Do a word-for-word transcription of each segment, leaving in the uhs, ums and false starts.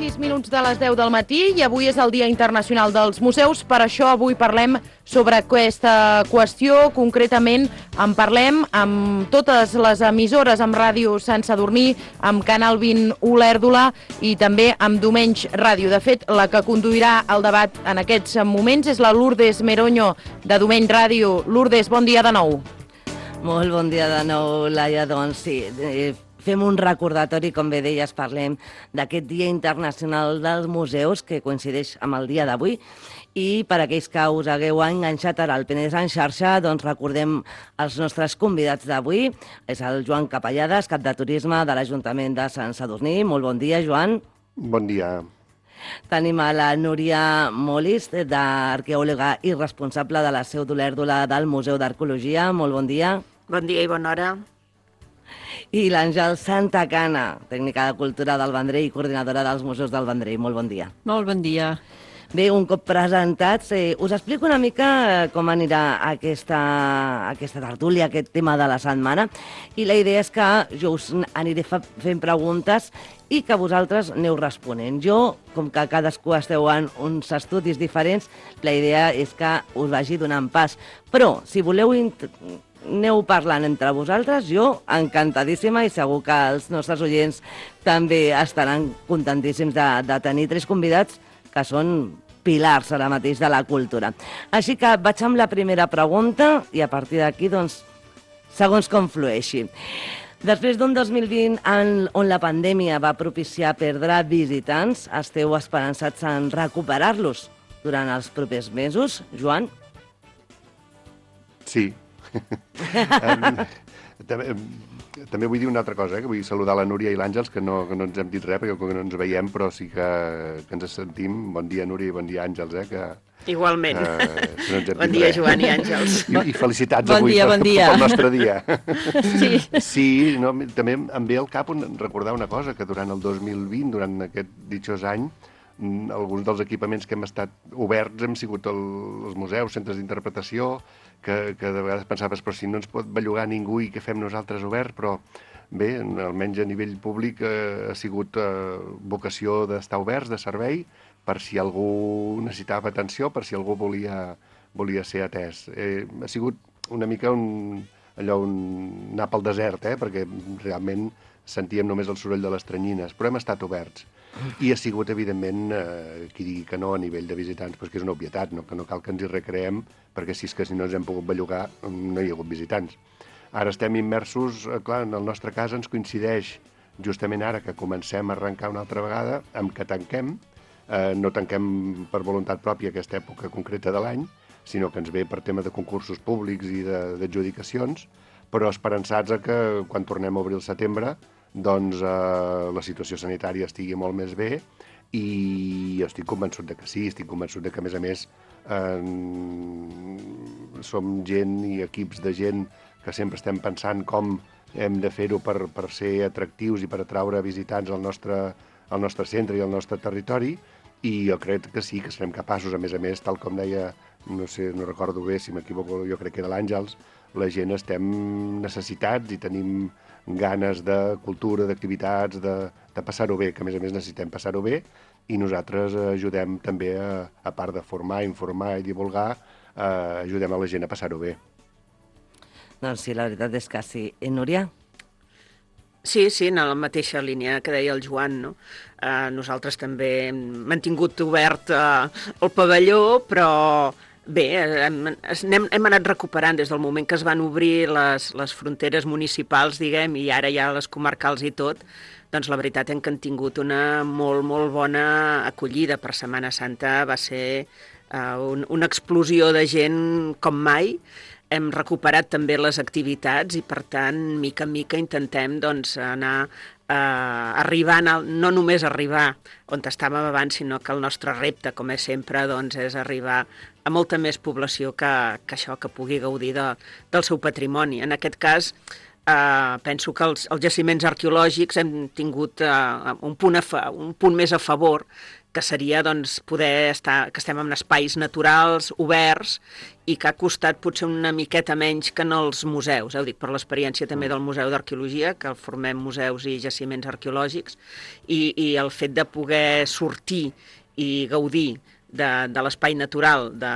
sis minuts de les deu del matí i avui és el Dia Internacional dels Museus. Per això avui parlem sobre aquesta qüestió. Concretament en parlem amb totes les emissores, amb Ràdio Sant Sadurní, amb Canal vint Olèrdola i també amb Domenys Ràdio. De fet, la que conduirà el debat en aquests moments és la Lourdes Meroño de Domenys Ràdio. Lourdes, bon dia de nou. Molt bon dia de nou, Laia. Doncs sí, eh, fem un recordatori, com bé deies, parlem d'aquest Dia Internacional dels Museus, que coincideix amb el dia d'avui, i per aquells que us hagueu enganxat ara al Penedès en xarxa, doncs recordem els nostres convidats d'avui. És el Joan Capellades, cap de Turisme de l'Ajuntament de Sant Sadurní. Molt bon dia, Joan. Bon dia. Tenim a la Núria Molis, d'arqueòloga i responsable de la seu d'Olèrdola del Museu d'Arqueologia. Molt bon dia. Bon dia i bona hora. I l'Àngel Santacana, tècnica de cultura del Vendrell i coordinadora dels museus del Vendrell. Molt bon dia. Molt bon dia. Bé, un cop presentats, eh, us explico una mica com anirà aquesta, aquesta tertúlia, aquest tema de la setmana, i la idea és que jo us aniré fa, fent preguntes i que vosaltres aneu responent. Jo, com que cadascú esteu en uns estudis diferents, la idea és que us vagi donant pas. Però, si voleu aneu parlant entre vosaltres, jo encantadíssima, i segur que els nostres oients també estaran contentíssims de, de tenir tres convidats que són pilars ara mateix de la cultura. Així que vaig amb la primera pregunta i a partir d'aquí, doncs, segons com flueixi. Després d'un dos mil vint en, on la pandèmia va propiciar perdre visitants, esteu esperançats en recuperar-los durant els propers mesos, Joan? Sí. um, també, també vull dir una altra cosa, eh? Que vull saludar la Núria i l'Àngels, que no, que no ens hem dit res, perquè com que no ens veiem, però sí que, que ens sentim. Bon dia, Núria, i bon dia, Àngels, eh? Que, igualment. Uh, que no bon dia, res. Joan i Àngels. I, i felicitats bon avui dia, per, bon dia. pel nostre dia. Sí, sí no, també em ve al cap un, recordar una cosa, que durant el dos mil vint, durant aquest ditxós any, alguns dels equipaments que hem estat oberts hem sigut el, els museus, centres d'interpretació, que, que de vegades pensaves, però si no ens pot bellugar ningú i què fem nosaltres oberts, però bé, almenys a nivell públic eh, ha sigut eh, vocació d'estar oberts, de servei, per si algú necessitava atenció, per si algú volia, volia ser atès. Eh, ha sigut una mica un, allò, un anar pel desert, eh, perquè realment sentíem només el soroll de les tranyines, però hem estat oberts. I ha sigut, evidentment, eh, qui digui que no a nivell de visitants, però que és una obvietat, no? Que no cal que ens hi recreem, perquè si és que si no ens hem pogut bellugar no hi ha hagut visitants. Ara estem immersos, eh, clar, en el nostre cas ens coincideix justament ara que comencem a arrencar una altra vegada, amb que tanquem, eh, no tanquem per voluntat pròpia aquesta època concreta de l'any, sinó que ens ve per tema de concursos públics i d'adjudicacions, però esperançats a que quan tornem a obrir el setembre doncs eh, la situació sanitària estigui molt més bé, i jo estic convençut de que sí, estic convençut de que, a més a més, eh, som gent i equips de gent que sempre estem pensant com hem de fer-ho per, per ser atractius i per atraure visitants al nostre, al nostre centre i al nostre territori, i jo crec que sí, que serem capaços, a més a més, tal com deia, no sé, no recordo bé, si m'equivoco, jo crec que era l'Àngels, la gent estem necessitats i tenim ganes de cultura, d'activitats, de, de passar-ho bé, que a més a més necessitem passar-ho bé, i nosaltres ajudem també, a, a part de formar, informar i divulgar, eh, ajudem a la gent a passar-ho bé. Doncs sí, la veritat és que sí. I Núria? Sí, sí, en la mateixa línia que deia el Joan, no? Eh, nosaltres també hem mantingut obert eh, el pavelló, però bé, hem, hem, hem anat recuperant des del moment que es van obrir les, les fronteres municipals, diguem, i ara ja les comarcals i tot, doncs la veritat és que han tingut una molt, molt bona acollida. Per Setmana Santa va ser uh, un, una explosió de gent com mai. Hem recuperat també les activitats i, per tant, mica en mica intentem doncs, anar eh, arribant, a, no només arribar on estàvem abans, sinó que el nostre repte, com és sempre, doncs, és arribar a molta més població que, que això, que pugui gaudir de, del seu patrimoni. En aquest cas, eh, penso que els, els jaciments arqueològics hem tingut eh, un, punt a fa, un punt més a favor, que seria doncs, poder estar, que estem en espais naturals, oberts, i que ha costat potser una miqueta menys que en els museus. Eh? Ho dic per l'experiència també del Museu d'Arqueologia, que formem museus i jaciments arqueològics, i, i el fet de poder sortir i gaudir de, de l'espai natural de,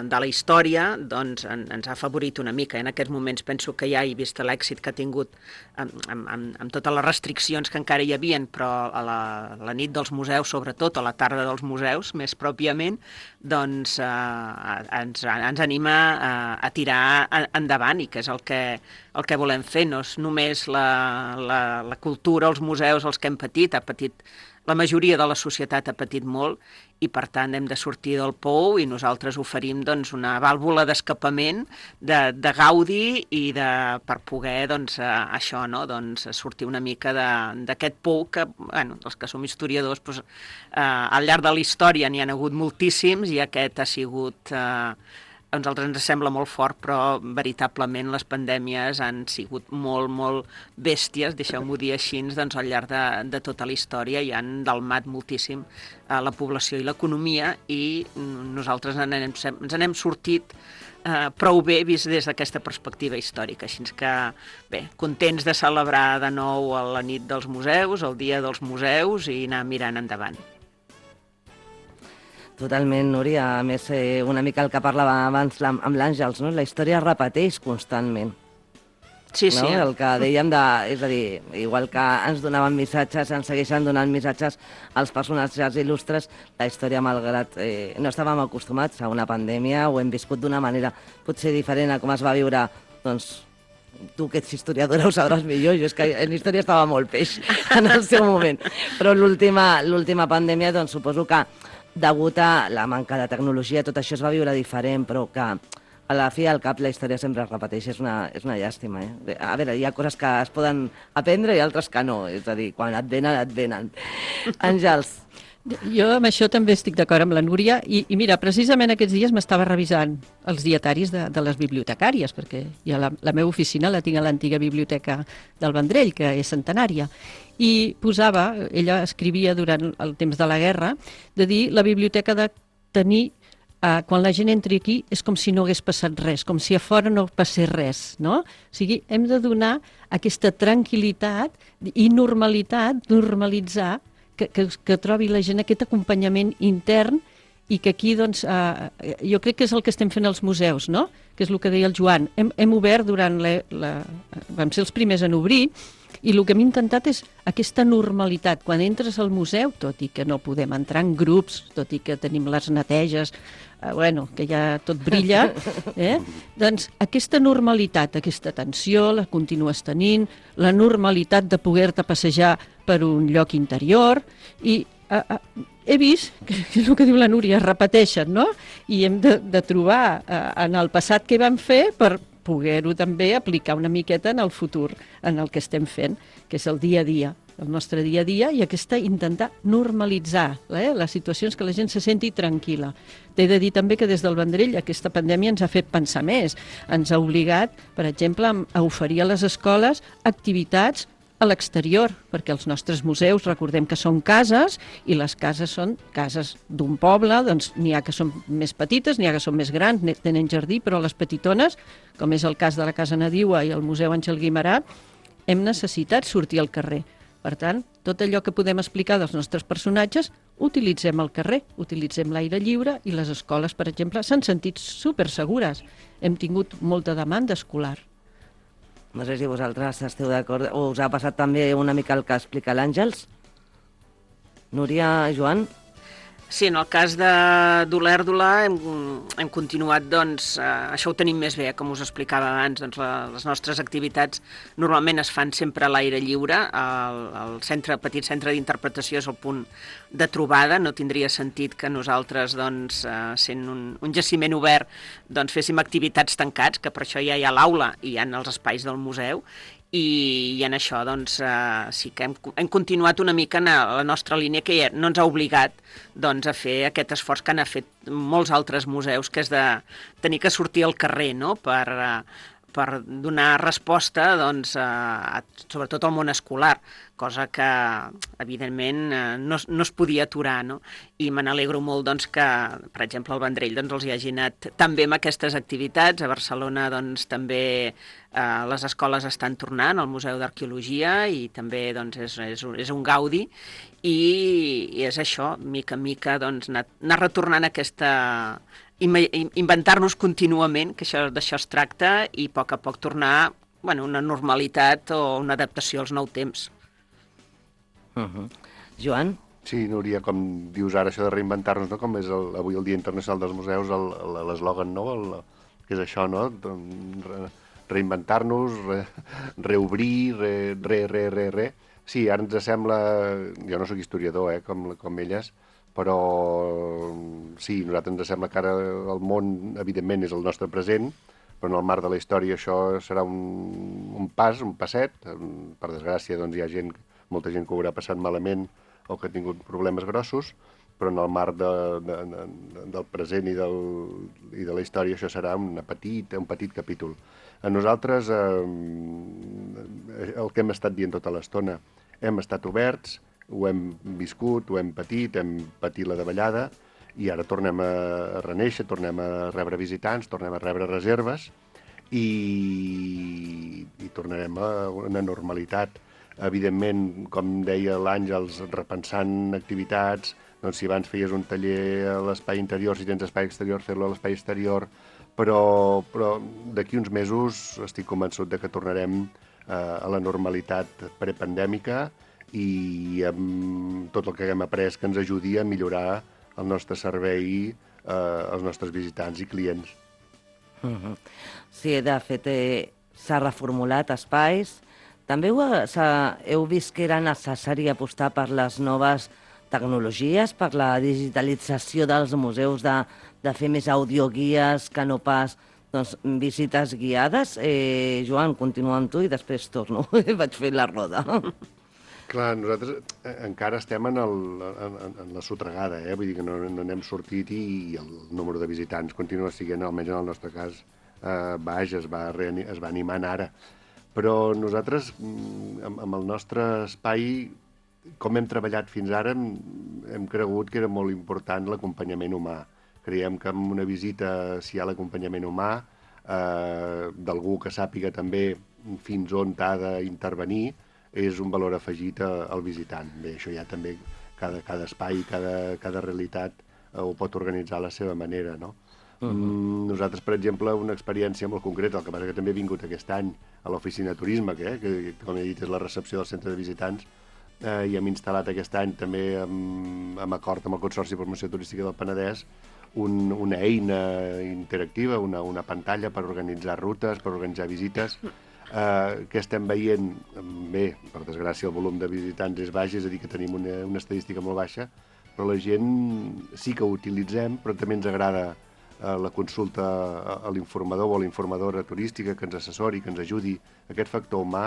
de la història, doncs en, ens ha afavorit una mica. En aquests moments penso que ja he vist l'èxit que ha tingut amb, amb, amb, amb totes les restriccions que encara hi havien, però a la, la nit dels museus, sobretot, a la tarda dels museus, més pròpiament, doncs eh, ens, ens anima a, a tirar endavant, i que és el que, el que volem fer. No és només la, la, la cultura, els museus, els que hem patit, ha patit la majoria de la societat ha patit molt, i per tant hem de sortir del pou, i nosaltres oferim doncs, una vàlvula d'escapament, de, de gaudi, i de, per poder doncs, eh, això, no? doncs, sortir una mica d'aquest pou que, bueno, els que som historiadors, doncs, eh, al llarg de la història n'hi ha hagut moltíssims, i aquest ha sigut... Eh, a nosaltres ens sembla molt fort, però veritablement les pandèmies han sigut molt, molt bèsties, deixeu-m'ho dir així, doncs, al llarg de, de tota la història, i han dalmat moltíssim eh, la població i l'economia, i nosaltres en anem, ens n'hem sortit eh, prou bé vist des d'aquesta perspectiva històrica. Així que, bé, contents de celebrar de nou la nit dels museus, el dia dels museus, i anar mirant endavant. Totalment, Núria. A més, eh, una mica el que parlava abans amb l'Àngels, no? La història es repeteix constantment. Sí, sí. No? El que dèiem de... És a dir, igual que ens donaven missatges, ens segueixen donant missatges als personatges il·lustres, la història, malgrat eh, no estàvem acostumats a una pandèmia, ho hem viscut d'una manera potser diferent a com es va viure, doncs, tu que ets historiadora ho sabràs millor, jo és que en història estava molt peix en el seu moment. Però l'última l'última pandèmia, doncs, suposo que degut a la manca de tecnologia, tot això es va viure diferent, però que a la fi al cap la història sempre es repeteix, és una, és una llàstima. Eh? A veure, hi ha coses que es poden aprendre i altres que no, és a dir, quan et venen, et venen. Àngels. Jo amb això també estic d'acord amb la Núria, i, i mira, precisament aquests dies m'estava revisant els dietaris de, de les bibliotecàries, perquè ja la, la meva oficina la tinc a l'antiga biblioteca del Vendrell, que és centenària, i posava, ella escrivia durant el temps de la guerra, de dir la biblioteca de tenir, eh, quan la gent entri aquí, és com si no hagués passat res, com si a fora no passés res, no? O sigui, hem de donar aquesta tranquil·litat i normalitat, normalitzar, que, que, que trobi la gent aquest acompanyament intern, i que aquí, doncs, eh, jo crec que és el que estem fent als museus, no? Que és el que deia el Joan. Hem, hem obert durant la, la... Vam ser els primers en obrir, i el que hem intentat és aquesta normalitat. Quan entres al museu, tot i que no podem entrar en grups, tot i que tenim les neteges, eh, bueno, que ja tot brilla, eh? Doncs aquesta normalitat, aquesta tensió, la continues tenint, la normalitat de poder-te passejar per un lloc interior, i eh, eh, he vist, que és el que diu la Núria, es repeteixen, no? I hem de, de trobar eh, en el passat què vam fer per poder-ho també aplicar una miqueta en el futur, en el que estem fent, que és el dia a dia, el nostre dia a dia, i aquesta intentar normalitzar eh, les situacions, que la gent se senti tranquil·la. T'he de dir també que des del Vendrell aquesta pandèmia ens ha fet pensar més. Ens ha obligat, per exemple, a oferir a les escoles activitats a l'exterior, perquè els nostres museus, recordem que són cases, i les cases són cases d'un poble, doncs n'hi ha que són més petites, n'hi ha que són més grans, tenen jardí, però les petitones, com és el cas de la Casa Nadiua i el Museu Àngel Guimerà, hem necessitat sortir al carrer. Per tant, tot allò que podem explicar dels nostres personatges, utilitzem el carrer, utilitzem l'aire lliure, i les escoles, per exemple, s'han sentit supersegures. Hem tingut molta demanda escolar. No sé si vosaltres esteu d'acord, o us ha passat també una mica el que explica l'Àngels? Núria, Joan? Sí, en el cas de d'Olèrdola hem, hem continuat, doncs, eh, això ho tenim més bé, com us explicava abans, doncs la, les nostres activitats normalment es fan sempre a l'aire lliure, el, el centre, petit centre d'interpretació és el punt de trobada, no tindria sentit que nosaltres, doncs, eh, sent un, un jaciment obert, doncs féssim activitats tancats, que per això ja hi ha l'aula i hi ha els espais del museu, i, i en això doncs, eh, sí que hem, hem continuat una mica en la nostra línia, que ja no ens ha obligat doncs, a fer aquest esforç que han fet molts altres museus, que és de tenir que sortir al carrer, no? per, eh, per donar resposta, doncs, a, a, sobretot al món escolar, cosa que, evidentment, no, no es podia aturar, no? I me n'alegro molt, doncs, que, per exemple, al Vendrell doncs, els hi hagi anat també amb aquestes activitats. A Barcelona, doncs, també eh, les escoles estan tornant al Museu d'Arqueologia i també, doncs, és, és, és un gaudi i, i és això, mica en mica, doncs, anar, anar retornant aquesta... inventar-nos contínuament, que això d'això es tracta, i a poc a poc tornar, bueno, una normalitat o una adaptació als nous temps. Uh-huh. Joan? Sí, Núria, com dius ara, això de reinventar-nos, no? Com és el, avui el Dia Internacional dels Museus, l'eslògan, no? El, que és això, no? Re, reinventar-nos, re, reobrir, re, re, re, re, re. Sí, ara ens sembla... Jo no sóc historiador, eh, com, com elles, però sí, a nosaltres ens sembla que ara el món, evidentment, és el nostre present, però en el marc de la història això serà un, un pas, un passet. Per desgràcia, doncs, hi ha gent, molta gent que ho haurà passat malament o que ha tingut problemes grossos, però en el marc de, de, de, del present i, del, i de la història això serà una petita, un petit capítol. A nosaltres, eh, el que hem estat dient tota l'estona, hem estat oberts, ho hem viscut, ho hem patit, hem patit la davallada i ara tornem a reneixer, tornem a rebre visitants, tornem a rebre reserves i, i tornarem a una normalitat. Evidentment, com deia l'Àngels, repensant activitats, doncs si abans feies un taller a l'espai interior, si tens espai exterior, fer-lo a l'espai exterior, però, però d'aquí uns mesos estic convençut de que tornarem eh, a la normalitat prepandèmica i amb tot el que haguem après que ens ajudi a millorar el nostre servei eh, als nostres visitants i clients. Uh-huh. Sí, de fet, eh, s'ha reformulat espais. També heu, heu vist que era necessari apostar per les noves tecnologies, per la digitalització dels museus, de, de fer més audioguies que no pas doncs, visites guiades. Eh, Joan, continua amb tu i després torno. Vaig fer la roda. Clar, nosaltres encara estem en, el, en, en la sotregada, eh? Vull dir que no, no n'hem sortit i, i el número de visitants continua sent, almenys en el nostre cas, eh, baix, es va, es va animant ara. Però nosaltres, amb, amb el nostre espai, com hem treballat fins ara, hem, hem cregut que era molt important l'acompanyament humà. Creiem que amb una visita, si hi ha l'acompanyament humà, eh, d'algú que sàpiga també fins on t'ha d'intervenir, és un valor afegit al visitant. Bé, això ja també cada, cada espai, cada, cada realitat eh, ho pot organitzar a la seva manera, no? Uh-huh. mm, nosaltres, per exemple, una experiència molt concreta, el que passa que també he vingut aquest any a l'oficina de turisme, que, eh, que com he dit és la recepció del centre de visitants, eh, i hem instal·lat aquest any també amb, amb acord amb el Consorci de Promoció Turística del Penedès un, una eina interactiva, una, una pantalla per organitzar rutes, per organitzar visites, Uh, que estem veient, bé, per desgràcia el volum de visitants és baix, és a dir, que tenim una, una estadística molt baixa, però la gent sí que ho utilitzem, però també ens agrada uh, la consulta a l'informador o a la informadora turística que ens assessori, que ens ajudi. Aquest factor humà,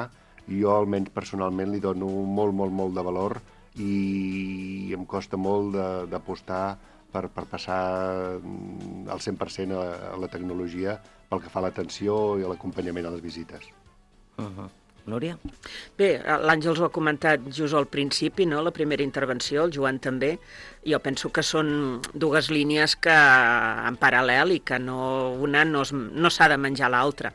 jo almenys personalment li dono molt, molt, molt de valor i em costa molt d'apostar per, per passar al cent per cent a, a la tecnologia pel que fa a l'atenció i a l'acompanyament a les visites. Uh-huh. Núria? Bé, l'Àngels ho ha comentat just al principi, no? La primera intervenció, el Joan també. Jo penso que són dues línies que en paral·lel i que no, una no, es, no s'ha de menjar l'altra.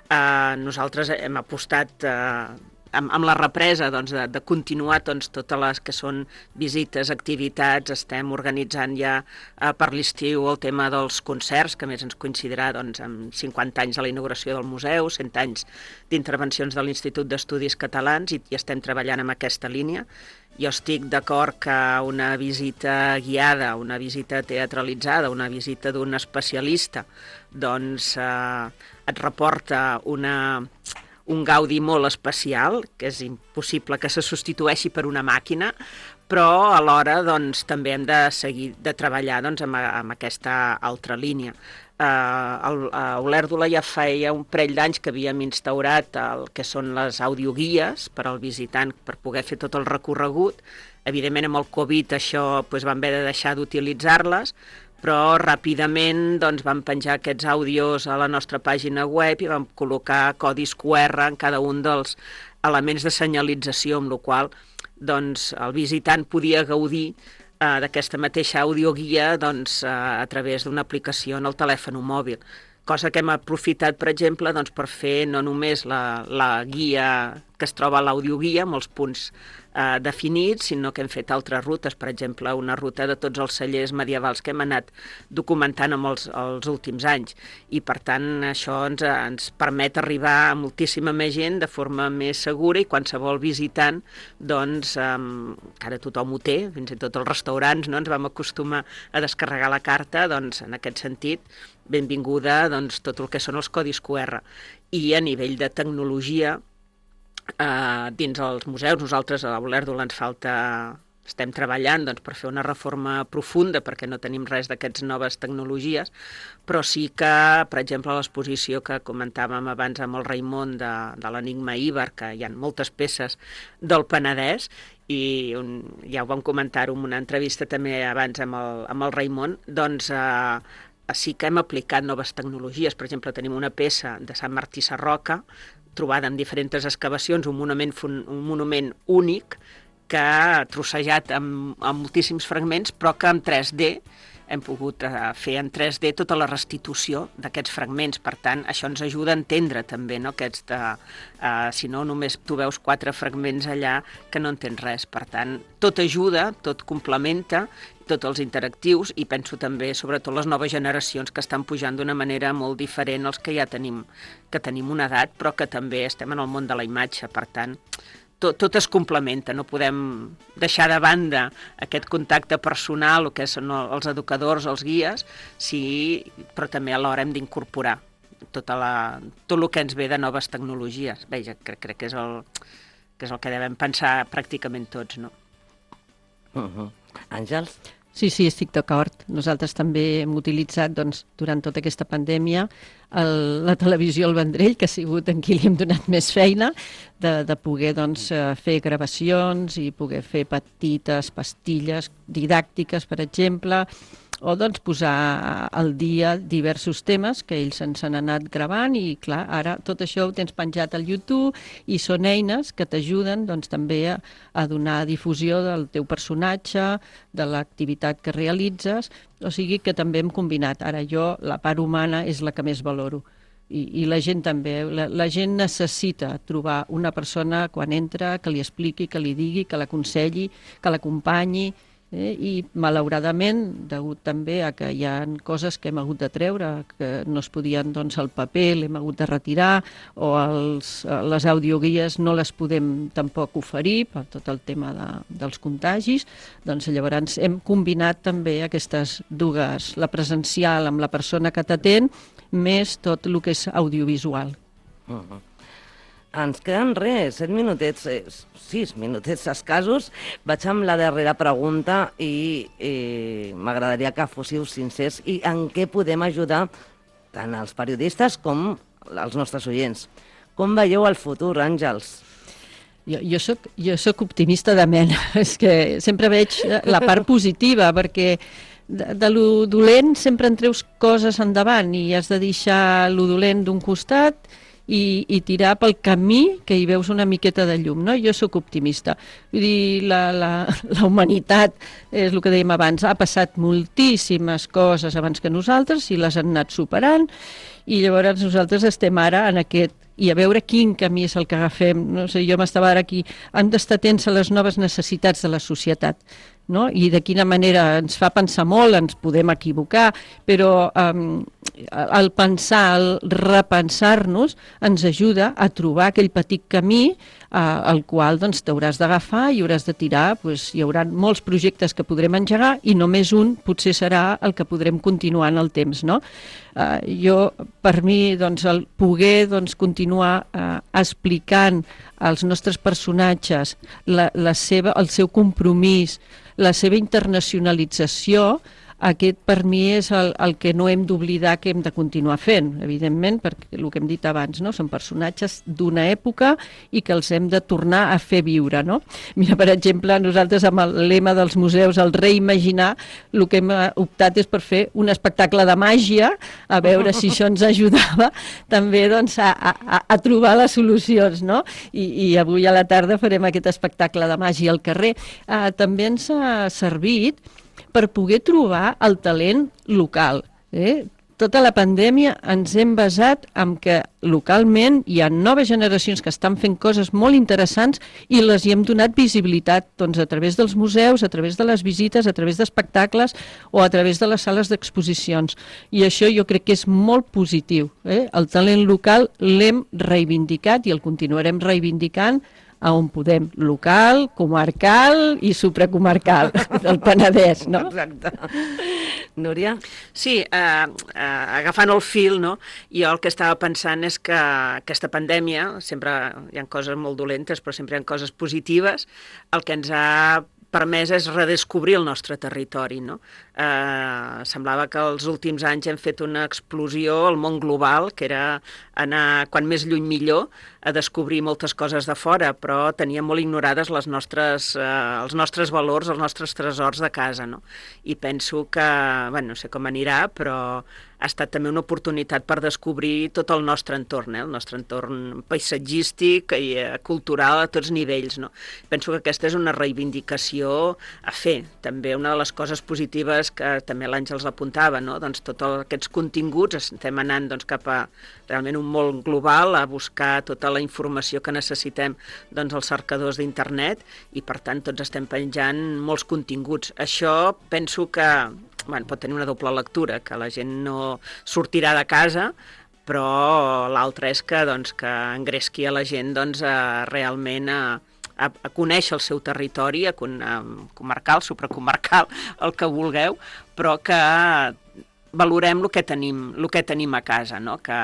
Uh, nosaltres hem apostat uh, amb, amb la represa doncs, de, de continuar doncs, totes les que són visites, activitats. Estem organitzant ja uh, per l'estiu el tema dels concerts, que més ens coincidirà doncs, amb cinquanta anys de la inauguració del museu, cent anys d'intervencions de l'Institut d'Estudis Catalans, i, i estem treballant en aquesta línia. Jo estic d'acord que una visita guiada, una visita teatralitzada, una visita d'un especialista, doncs eh, et reporta una, un gaudi molt especial, que és impossible que se substitueixi per una màquina, però alhora doncs, també hem de seguir de treballar doncs, amb, amb aquesta altra línia. Uh, a Olèrdola ja feia un parell d'anys que havíem instaurat el que són les audioguies per al visitant per poder fer tot el recorregut. Evidentment amb el Covid això doncs, vam haver de deixar d'utilitzar-les, però ràpidament doncs, vam penjar aquests àudios a la nostra pàgina web i vam col·locar codis Q R en cada un dels elements de senyalització, amb la qual doncs, el visitant podia gaudir eh, d'aquesta mateixa audioguia doncs, eh, a través d'una aplicació en el telèfon mòbil. Cosa que hem aprofitat, per exemple, doncs, per fer no només la, la guia que es troba a l'audioguia, amb els punts eh, definits, sinó que hem fet altres rutes, per exemple, una ruta de tots els cellers medievals que hem anat documentant amb els, els últims anys. I, per tant, això ens, ens permet arribar a moltíssima més gent de forma més segura i qualsevol visitant, doncs, eh, que ara tothom ho té, fins i tot els restaurants, no? Ens vam acostumar a descarregar la carta, doncs, en aquest sentit, benvinguda doncs, tot el que són els codis Q R. I a nivell de tecnologia, eh, dins els museus, nosaltres a l'Olèrdola ens falta, estem treballant doncs, per fer una reforma profunda perquè no tenim res d'aquestes noves tecnologies, però sí que, per exemple, l'exposició que comentàvem abans amb el Raimon de, de l'Enigma Íber, que hi ha moltes peces del Penedès, i un, ja ho vam comentar-ho en una entrevista també abans amb el, amb el Raimon, doncs eh, sí que hem aplicat noves tecnologies. Per exemple, tenim una peça de Sant Martí Sarroca, trobada en diferents excavacions, un monument, un monument únic, que ha trossejat amb, amb moltíssims fragments, però que en tres D hem pogut uh, fer en tres D tota la restitució d'aquests fragments. Per tant, això ens ajuda a entendre també, no? Aquests de, uh, si no, només tu veus quatre fragments allà que no entens res. Per tant, tot ajuda, tot complementa, tots els interactius, i penso també, sobretot, les noves generacions que estan pujant d'una manera molt diferent als que ja tenim, que tenim una edat, però que també estem en el món de la imatge. Per tant, tot, tot es complementa, no podem deixar de banda aquest contacte personal, el que són els educadors, els guies, sí, però també alhora hem d'incorporar tota la, tot el que ens ve de noves tecnologies. Veja, crec, crec que, és el, que és el que devem pensar pràcticament tots, no? Uh-huh. Àngels? Sí, sí, estic d'acord. Nosaltres també hem utilitzat doncs, durant tota aquesta pandèmia el, la televisió al Vendrell, que ha sigut en qui li hem donat més feina, de, de poder doncs, fer gravacions i poder fer petites pastilles didàctiques, per exemple, o doncs, posar al dia diversos temes que ells ens han anat gravant i, clar, ara tot això ho tens penjat al YouTube i són eines que t'ajuden doncs, també a, a donar difusió del teu personatge, de l'activitat que realitzes, o sigui que també hem combinat. Ara jo, la part humana és la que més valoro. I, i la gent també, la, la gent necessita trobar una persona quan entra que li expliqui, que li digui, que l'aconselli, que l'acompanyi, Eh, i malauradament, degut també a que hi ha coses que hem hagut de treure, que no es podien doncs, al paper, l'hem hagut de retirar, o els, les audioguies no les podem tampoc oferir per tot el tema de, dels contagis, doncs llavors hem combinat també aquestes dues, la presencial amb la persona que t'atén, més tot el que és audiovisual. Uh-huh. Ens queden res, set minutets, eh, sis minutets escassos. Vaig amb la darrera pregunta i eh, m'agradaria que fóssiu sincers i en què podem ajudar tant els periodistes com els nostres oients. Com veieu el futur, Àngels? Jo, jo, soc, jo soc optimista de mena, és que sempre veig la part positiva, perquè de, de lo dolent sempre en treus coses endavant i has de deixar lo dolent d'un costat I, i tirar pel camí que hi veus una miqueta de llum, no? Jo sóc optimista. Vull dir, la, la, la humanitat, és el que dèiem abans, ha passat moltíssimes coses abans que nosaltres i les han anat superant, i llavors nosaltres estem ara en aquest, i a veure quin camí és el que agafem. No sé, jo m'estava ara aquí, hem d'estar atents a les noves necessitats de la societat, no? I de quina manera ens fa pensar molt, ens podem equivocar, però um, el pensar, el repensar-nos ens ajuda a trobar aquell petit camí uh, al qual doncs, t'hauràs d'agafar i hauràs de tirar, doncs, hi haurà molts projectes que podrem engegar i només un potser serà el que podrem continuar en el temps, no? Uh, jo, per mi, doncs, el poder doncs, continuar uh, explicant als nostres personatges la, la seva, el seu compromís, la seva internacionalització, aquest per mi és el, el que no hem d'oblidar que hem de continuar fent, evidentment, perquè el que hem dit abans, no? Són personatges d'una època i que els hem de tornar a fer viure, no? Mira, per exemple, nosaltres amb el lema dels museus, el reimaginar, el que hem optat és per fer un espectacle de màgia, a veure si això ens ajudava també doncs, a, a, a trobar les solucions, no? I, i avui a la tarda farem aquest espectacle de màgia al carrer. Uh, també ens ha servit per poder trobar el talent local. Eh? Tota la pandèmia ens hem basat en que localment hi ha noves generacions que estan fent coses molt interessants i les hi hem donat visibilitat doncs, a través dels museus, a través de les visites, a través d'espectacles o a través de les sales d'exposicions. I això jo crec que és molt positiu. Eh? El talent local l'hem reivindicat i el continuarem reivindicant a on podem, local, comarcal i supracomarcal del Penedès, no? Exacte. Núria? Sí, eh, eh, agafant el fil, no? Jo el que estava pensant és que aquesta pandèmia, sempre hi ha coses molt dolentes, però sempre hi ha coses positives, el que ens ha permès és redescobrir el nostre territori, no? Eh, semblava que els últims anys hem fet una explosió al món global, que era anar, quan més lluny millor, a descobrir moltes coses de fora, però teníem molt ignorades les nostres, eh, els nostres valors, els nostres tresors de casa, no? I penso que, bueno, no sé com anirà, però ha estat també una oportunitat per descobrir tot el nostre entorn, eh? El nostre entorn paisatgístic i eh, cultural a tots nivells, no? Penso que aquesta és una reivindicació a fer. També una de les coses positives que també l'Àngels apuntava, no? Doncs tots aquests continguts estem anant doncs, cap a realment un món global, a buscar tota la informació que necessitem doncs, als cercadors d'internet i per tant tots estem penjant molts continguts. Això penso que bueno, pot tenir una doble lectura, que la gent no sortirà de casa, però l'altra és que, doncs, que engresqui a la gent doncs, a, realment a, a, a conèixer el seu territori, a, a comarcal, supracomarcal, el que vulgueu, però que valorem el que tenim, el que tenim a casa, no? Que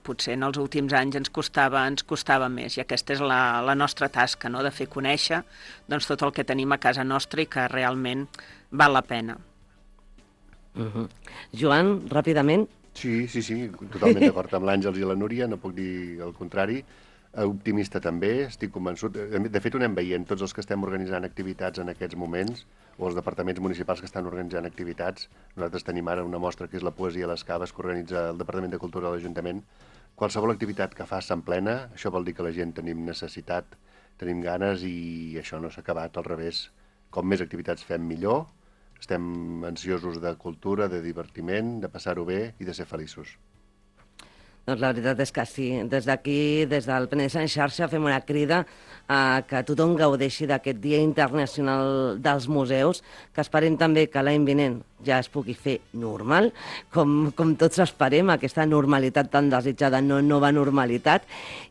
potser en els últims anys ens costava, ens costava més, i aquesta és la, la nostra tasca, no? De fer conèixer doncs, tot el que tenim a casa nostra i que realment val la pena. Uh-huh. Joan, ràpidament. Sí, sí, sí, totalment d'acord amb l'Àngels i la Núria, no puc dir el contrari. Optimista també, estic convençut. De fet, ho anem veient, tots els que estem organitzant activitats en aquests moments, o els departaments municipals que estan organitzant activitats. Nosaltres tenim ara una mostra que és la Poesia a les Caves, que organitza el Departament de Cultura de l'Ajuntament. Qualsevol activitat que fas s'emplena, això vol dir que la gent tenim necessitat, tenim ganes i això no s'ha acabat, al revés. Com més activitats fem, millor. Estem ansiosos de cultura, de divertiment, de passar-ho bé i de ser feliços. Doncs la veritat és que sí. Des d'aquí, des del Penedès en xarxa, fem una crida a que tothom gaudeixi d'aquest Dia Internacional dels Museus, que esperem també que l'any vinent ja es pugui fer normal, com, com tots esperem, aquesta normalitat tan desitjada, no nova normalitat.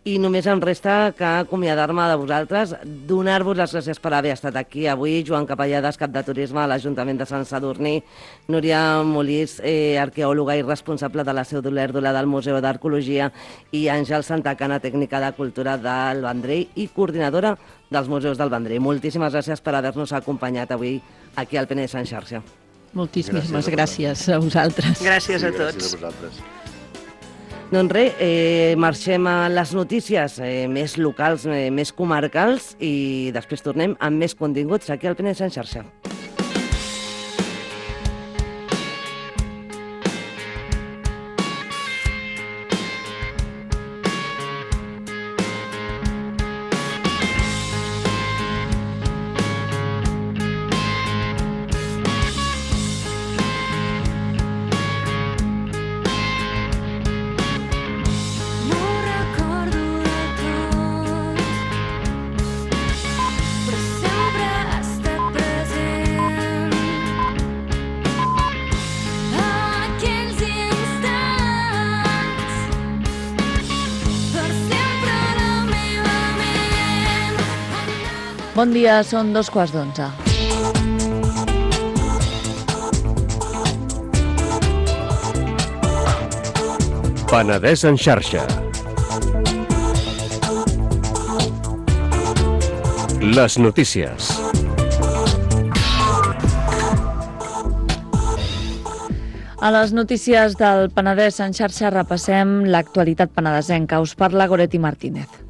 I només em resta que acomiadar-me de vosaltres, donar-vos les gràcies per haver estat aquí avui. Joan Capellades, cap de Turisme a l'Ajuntament de Sant Sadurní, Núria Molís, eh, arqueòloga i responsable de la Seu d'Olèrdola del Museu d'Arqueologia, i Àngel Santacana, tècnica de cultura del Vendrell i coordinadora dels museus del Vendrell. Moltíssimes gràcies per haver-nos acompanyat avui aquí al Penedès en xarxa. Moltíssimes gràcies, gràcies a vosaltres. Gràcies a sí, tots. Gràcies a vosaltres. Doncs res, eh, marxem a les notícies eh, més locals, eh, més comarcals, i després tornem amb més continguts aquí al Penedès en xarxa. Bon dia, són dos quarts d'onze. Penedès en xarxa. Les notícies. A les notícies del Penedès en xarxa repassem l'actualitat penedesenca. Us parla Goretti Martínez.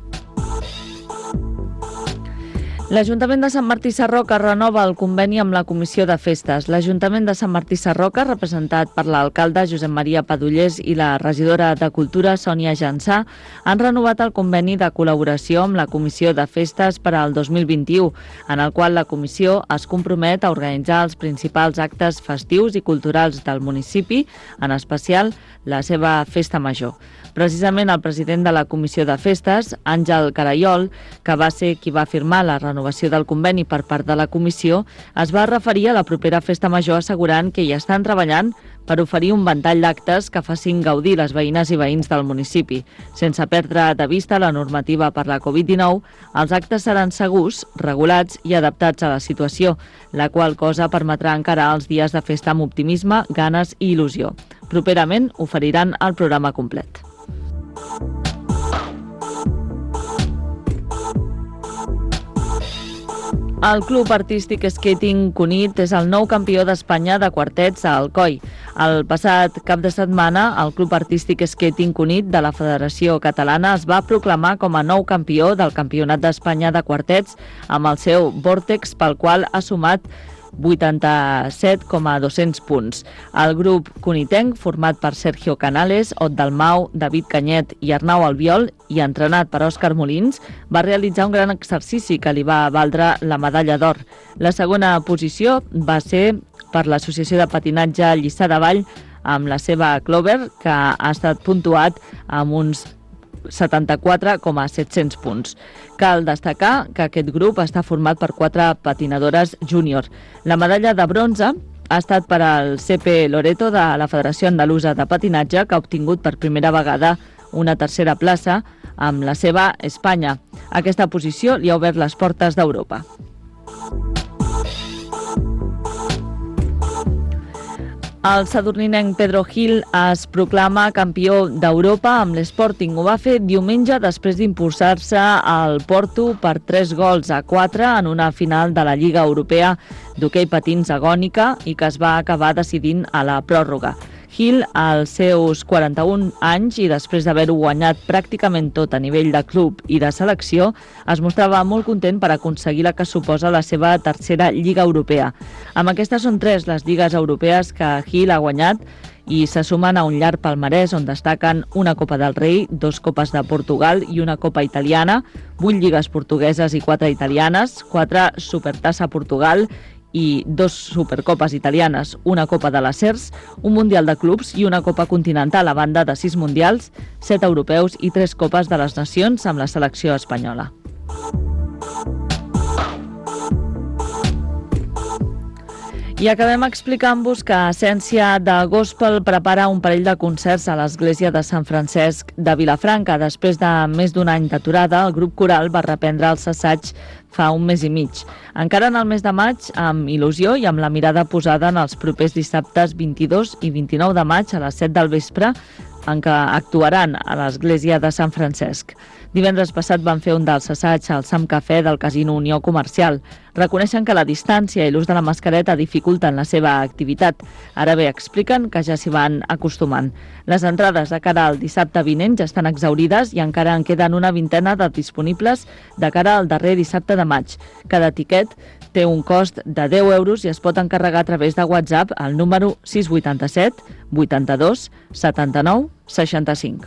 L'Ajuntament de Sant Martí Sarroca renova el conveni amb la Comissió de Festes. L'Ajuntament de Sant Martí Sarroca, representat per l'alcalde Josep Maria Padullés i la regidora de Cultura Sònia Jansà, han renovat el conveni de col·laboració amb la Comissió de Festes per al dos mil vint-i-u, en el qual la comissió es compromet a organitzar els principals actes festius i culturals del municipi, en especial la seva festa major. Precisament el president de la Comissió de Festes, Àngel Carayol, que va ser qui va firmar la renovació del conveni per part de la comissió, es va referir a la propera festa major assegurant que hi estan treballant per oferir un ventall d'actes que facin gaudir les veïnes i veïns del municipi. Sense perdre de vista la normativa per la covid dinou, els actes seran segurs, regulats i adaptats a la situació, la qual cosa permetrà encarar els dies de festa amb optimisme, ganes i il·lusió. Properament oferiran el programa complet. El Club Artístic Skating Cunit és el nou campió d'Espanya de quartets a Alcoi. El passat cap de setmana, el Club Artístic Skating Cunit de la Federació Catalana es va proclamar com a nou campió del Campionat d'Espanya de quartets amb el seu Vortex, pel qual ha sumat vuitanta-set coma dos-cents punts. El grup cunitenc, format per Sergio Canales, Ot Dalmau, David Canyet i Arnau Albiol, i entrenat per Òscar Molins, va realitzar un gran exercici que li va valdre la medalla d'or. La segona posició va ser per l'Associació de Patinatge Lliçà de Vall amb la seva Clover, que ha estat puntuat amb uns setanta-quatre coma set-cents punts. Cal destacar que aquest grup està format per quatre patinadores júnior. La medalla de bronze ha estat per al C P Loreto de la Federació Andalusa de Patinatge, que ha obtingut per primera vegada una tercera plaça amb la seva Espanya. Aquesta posició li ha obert les portes d'Europa. El sadurninenc Pedro Gil es proclama campió d'Europa amb l'Sporting. Ho va fer diumenge després d'impulsar-se al Porto per tres gols a quatre en una final de la Lliga Europea d'hoquei patins agònica i que es va acabar decidint a la pròrroga. Gil, als seus quaranta-un anys i després d'haver-ho guanyat pràcticament tot a nivell de club i de selecció, es mostrava molt content per aconseguir la que suposa la seva tercera Lliga Europea. Amb aquestes són tres les lligues europees que Gil ha guanyat i se sumen a un llarg palmarès on destaquen una Copa del Rei, dos Copes de Portugal i una Copa italiana, vuit lligues portugueses i quatre italianes, quatre Supertassa Portugal i dos Supercopes italianes, una Copa de les Cers, un Mundial de Clubs i una Copa Continental a banda de sis Mundials, set europeus i tres Copes de les Nacions amb la selecció espanyola. I acabem explicant-vos que Essència de Gospel prepara un parell de concerts a l'església de Sant Francesc de Vilafranca. Després de més d'un any d'aturada, el grup coral va reprendre els assaigs fa un mes i mig. Encara en el mes de maig, amb il·lusió i amb la mirada posada en els propers dissabtes vint-i-dos i vint-i-nou de maig a les set del vespre, en què actuaran a l'església de Sant Francesc. Divendres passat van fer un dels assaigs al Sam Cafè del Casino Unió Comercial. Reconeixen que la distància i l'ús de la mascareta dificulten la seva activitat. Ara bé, expliquen que ja s'hi van acostumant. Les entrades de cara al dissabte vinent ja estan exaurides i encara en queden una vintena de disponibles de cara al darrer dissabte de maig. Cada tiquet té un cost de deu euros i es pot encarregar a través de WhatsApp al número sis vuit set, vuitanta-dos, setanta-nou, seixanta-cinc.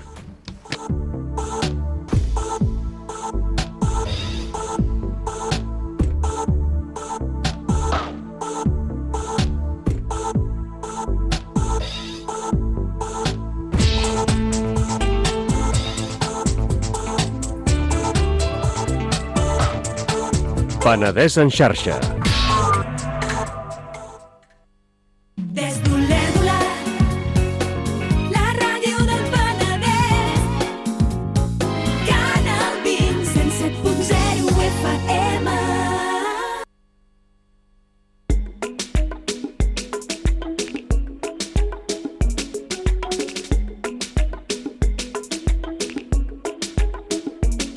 Penedès en xarxa. Des d'Olèrdola, la ràdio del Penedès, Canal vint, cent set punt zero F M.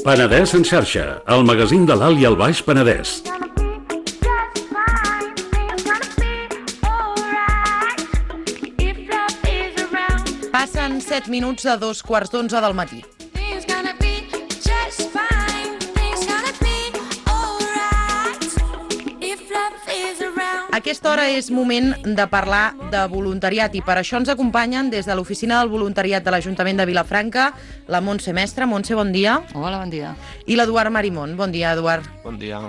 Penedès en xarxa, el magazín de l'Alt i el Baix Penedès. set minuts de dos quarts d'onze del matí. A aquesta hora és moment de parlar de voluntariat i per això ens acompanyen des de l'Oficina del Voluntariat de l'Ajuntament de Vilafranca la Montse Mestre. Montse, bon dia. Hola, bon dia. I l'Eduard Marimón. Bon dia, Eduard. Bon dia.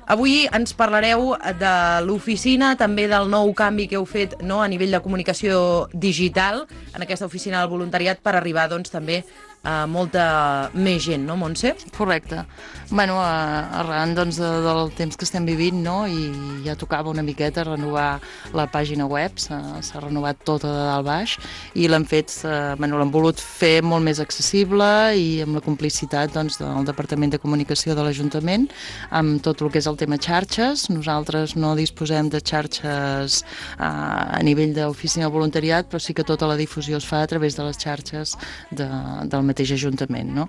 Avui ens parlareu de l'oficina, també del nou canvi que heu fet, no, a nivell de comunicació digital en aquesta oficina del voluntariat per arribar doncs, també a molta més gent, no, Montse? Correcte. Bueno, arran doncs, del temps que estem vivint, no, i ja tocava una miqueta renovar la pàgina web, s'ha renovat tota de dalt baix, i l'hem fet, bueno, l'hem volut fer molt més accessible i amb la complicitat doncs, del Departament de Comunicació de l'Ajuntament, amb tot el que és el tema xarxes. Nosaltres no disposem de xarxes a nivell d'oficina de voluntariat, però sí que tota la difusió es fa a través de les xarxes de, del mateix Ajuntament, no?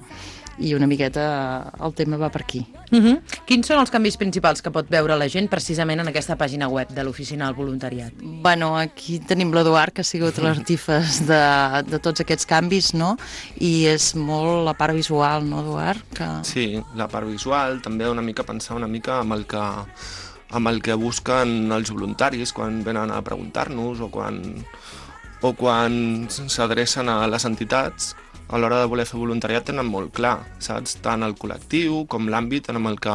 I una miqueta el tema va per aquí. Uh-huh. Quins són els canvis principals que pot veure la gent precisament en aquesta pàgina web de l'Oficina del Voluntariat? Bueno, aquí tenim l'Eduard, que ha sigut l'artífex de, de tots aquests canvis, no? I és molt la part visual, no, Eduard? Que... Sí, la part visual, també una mica pensar una mica amb el que, amb el que busquen els voluntaris quan venen a preguntar-nos o quan, o quan s'adrecen a les entitats. A l'hora de voler fer voluntariat tenen molt clar, saps? Tant el col·lectiu com l'àmbit amb el que,